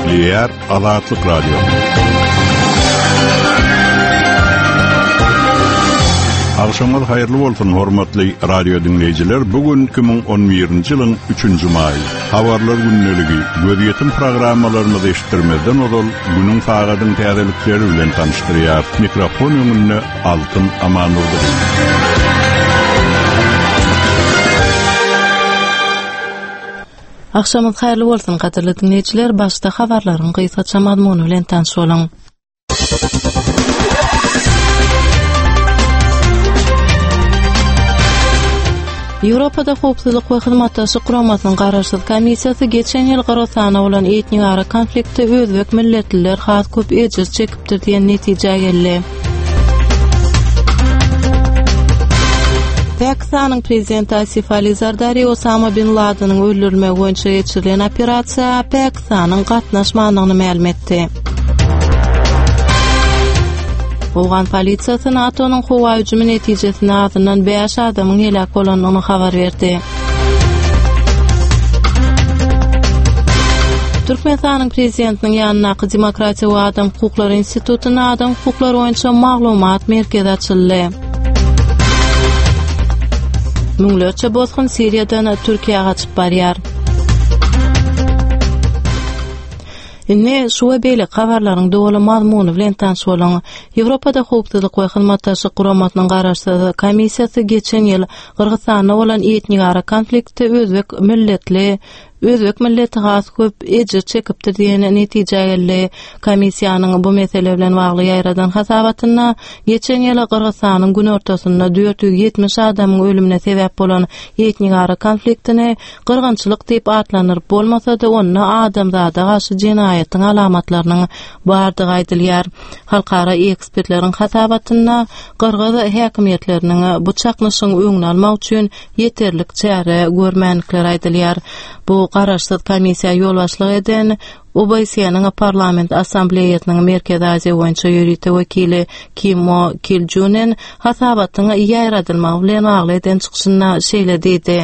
Gepleýär Azatlyk Radiosy. Agşamyňyz haýyrly bolsun, hormatly radio diňleýjiler. Bu gün 2011-nji ýylyň 3-nji maýy. Habarlar gündeligi, gözýetim programmalarymyzy eşitdirmezden ozal, günüň sagadyň täzelikleri bilen tanyşdyrýar. Mikrofon öňünde Altyn Amandurdyýew. Agşamyňyz haýyrly bolsun, gadyrly diňleýjiler, başda habarlaryň gysgaça mazmuny bilen tanyş boluň. Ýewropada Howpsuzlyk we Hyzmatdaşlyk Guramasynyň garaşsyz komissiýasy geçen ýyl Gyrgyzystanda bolan etnigara konfliktde özbek milletliler has köp ejir çekipdir diýen netijä geldi. Pakistanyň prezidenti Asif Ali Zardari Osama bin Ladeniň öldürilmegi boýunça geçirilen operasiýa Pakistanyň gatnaşmandygyny mälim etdi. Owgan polisiýasy NATO-nyň howa hüjümi netijesinde azyndan 5 adamyň heläk bolandygyny habar berdi. Türkmenistanyň Prezidentiniň ýanyndaky Demokratiýa we adam hukuklary institutynda adam hukuklary boýunça maglumat merkezi açyldy. Müňlerçe bosgun Siriýadan Türkiýä gaçyp barýar. Indi şu we beýleki habarlaryň doly mazmuny bilen tanyş boluň. Ýewropada Howpsuzlyk we Hyzmatdaşlyk Guramasynyň garaşsyz komissiýasy geçen ýyl Gyrgyzystanda bolan etnigara konfliktde özbek milletli özbek milleti has köp ejir çekipdir diýen netijä geldi. Komissiýanyň bu mesele bilen bagly ýaýradan hasabatynda geçen ýyl Gyrgyzystanyň günortasynda 470 adamyň ölümine sebäp bolan etnigara konfliktini gyrgynçylyk diýip atlandyryp bolmasa-da, onda adamzada garşy jenaýatyň alamatlarynyň bardygy aýdylýar. Halkara ekspertleriň hasabatynda gyrgyz häkimiýetleriniň bu çaknyşygyň öňüni almak üçin ýeterlik çäre görmändikleri aýdylýar. Bu garaşsyz komissiýa ýolbaşçylyk eden OBSE-niň Parlament Assambleýasynyň Merkezi Aziýa boýunça ýörite wekili Kimmo Kiljunen hasabatyň ýaýradylmagy bilen bagly eden çykyşynda şeýle diýdi.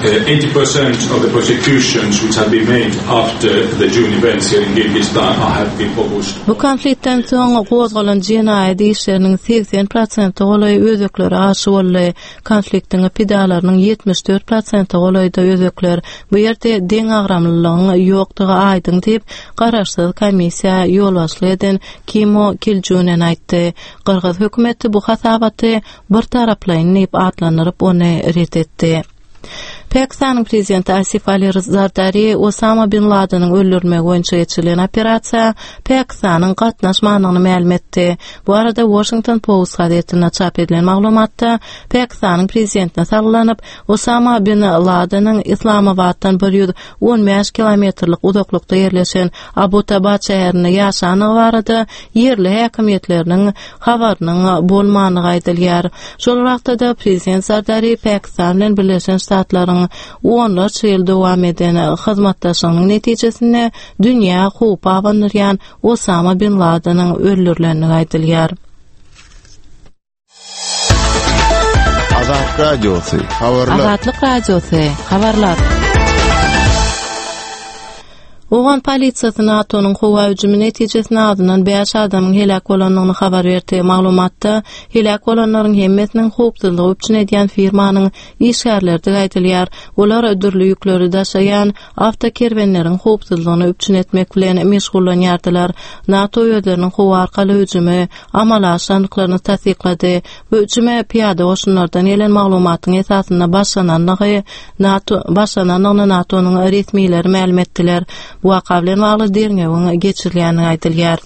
80% of the prosecutions which have been made after the June events here in Kyrgyzstan have been focused Bu konfliktden soň gozgalan jenaýat işleriniň 80 prosente golaýy özbeklere garşy boldy. Konfliktiň pidalarynyň 74 prosente golaýy-da özbekler. Bu ýerde deňagramlylygyň ýokdugy aýdyň diýip, garaşsyz komissiýa ýolbaşçylyk eden Kimmo Kiljunen aýtdy. Gyrgyz hökümeti bu hasabaty birtaraplaýyn diýip atlandyryp, ony ret etdi. Pakistanyň prezidenti Asif Ali Zardari Osama bin Ladeniň öldürilmegi boýunça geçirilen operasiýa Pakistanyň gatnaşmandygyny mälim etdi. Bu barada Washington Post gazetinde çap edilen maglumatda Pakistanyň prezidentine salgylanyp, Osama bin Ladeniň Yslamabatdan 115 kilometrlik uzaklykda ýerleşen Abbottabad şäherinde ýaşandygy barada ýerli häkimiýetleriniň habarynyň bolmandygy aýdylýar. Şol wagtda-da prezident Zardari Pakistan bilen Birleşen Ştatlaryň onlarça ýyl dowam eden hyzmatdaşlygynyň netijesinde dünýä howp abandyrýan Osama bin Ladeniň öldürilendigi aýdylýar. Azat Radiosy, habarlar. Azatlyk Radiosy, habarlar. Owgan polisiýasy NATO-nyň howa hüjümi netijesinde azyndan bäş adamyň heläk bolandygyny habar berdi. Maglumatda heläk bolanlaryň hemmesiniň howpsuzlygy üpjün edýän firmanyň işgärleridigi aýdylýar. Olar dürli ýükleri daşaýan awtokerwenleriň howpsuzlygyny üpjün etmek bilen meşgullanýardylar. NATO özleriniň howa arkaly hüjümi amala aşyrandyklaryny tassyklady. Bu hüjüme pyýada goşunlardan gelen maglumatyň esasynda başlanandygy NATO başlanandygyny NATO-nyň resmileri mälim etdiler. Bu waka bilen bagly derňewiň geçirilýändigi aýdylýar.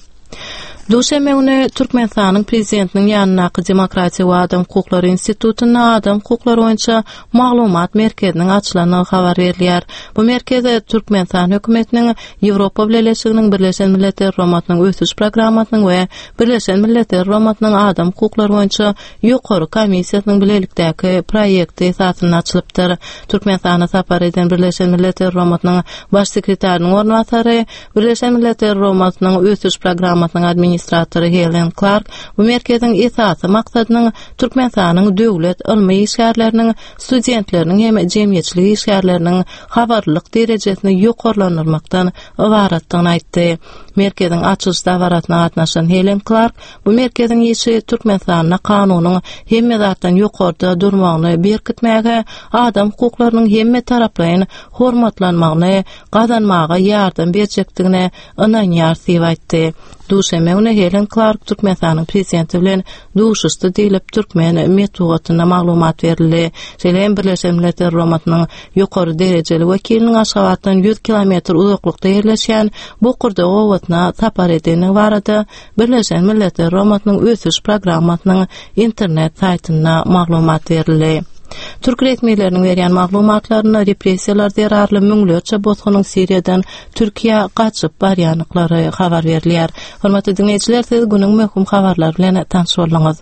Duşenbe güni Türkmenistanyň Prezidentiniň ýanyndaky Demokratiýa we adam hukuklary institutynda adam hukuklary boýunça maglumat merkeziniň açylandygy habar berilýär. Bu merkez Türkmenistan hökümetiniň Ýewropa Bileleşiginiň Birleşen Milletler Guramasynyň Ösüş programmasynyň we Birleşen Milletler Guramasynyň Adam hukuklary boýunça Ýokary komissiýasynyň bilelikdäki proýekti esasynda açylypdyr. Türkmenistana sapar eden Birleşen Milletler Guramasynyň Baş sekretarynyň orunbasary, Birleşen Milletler Guramasynyň Ösüş programmasynyň administrasiýasynyň. administratory Helen Klark bu merkeziň esasy maksadynyň Türkmenistanyň döwlet ylmy işgärleriniň, studentleriniň hem jemgyýetçilik işgärleriniň habarlylyk derejesini ýokarlandyrmakdan ybaratdygyny aýtdy. Merkeziň açylyş dabarasyna gatnaşan Helen Klark bu merkeziň işi Türkmenistanda kanunyň hemme zatdan ýokarda durmagyny berkitmäge, adam hukuklarynyň hemmetaraplaýyn hormatlanmagyny gazanmaga ýardam berjekdigine ynanýarys diýip aýtdy. Duşenbe güni Helen Klark Türkmenistanyň Prezidenti bilen duşuşdy diýlip, türkmen metbugatynda maglumat berildi. Şeýle hem Birleşen Milletler Guramasynyň ýokary derejeli wekiliniň Aşgabatdan 100 kilometr uzaklykda ýerleşýän Bokurdak obasyna sapar edendigi barada Birleşen Milletler Guramasynyň Ösüş programmasynyň internet saýtynda maglumat berildi. Türk resmileriniň berýän maglumatlarynda repressiýalar zerarly müňlerçe bosgunyň Siriýadan Türkiýä gaçyp barýandyklary habar berilýär. Hormatly diňleýjiler, siz günüň möhüm habarlary bilen tanyş bolduňyz.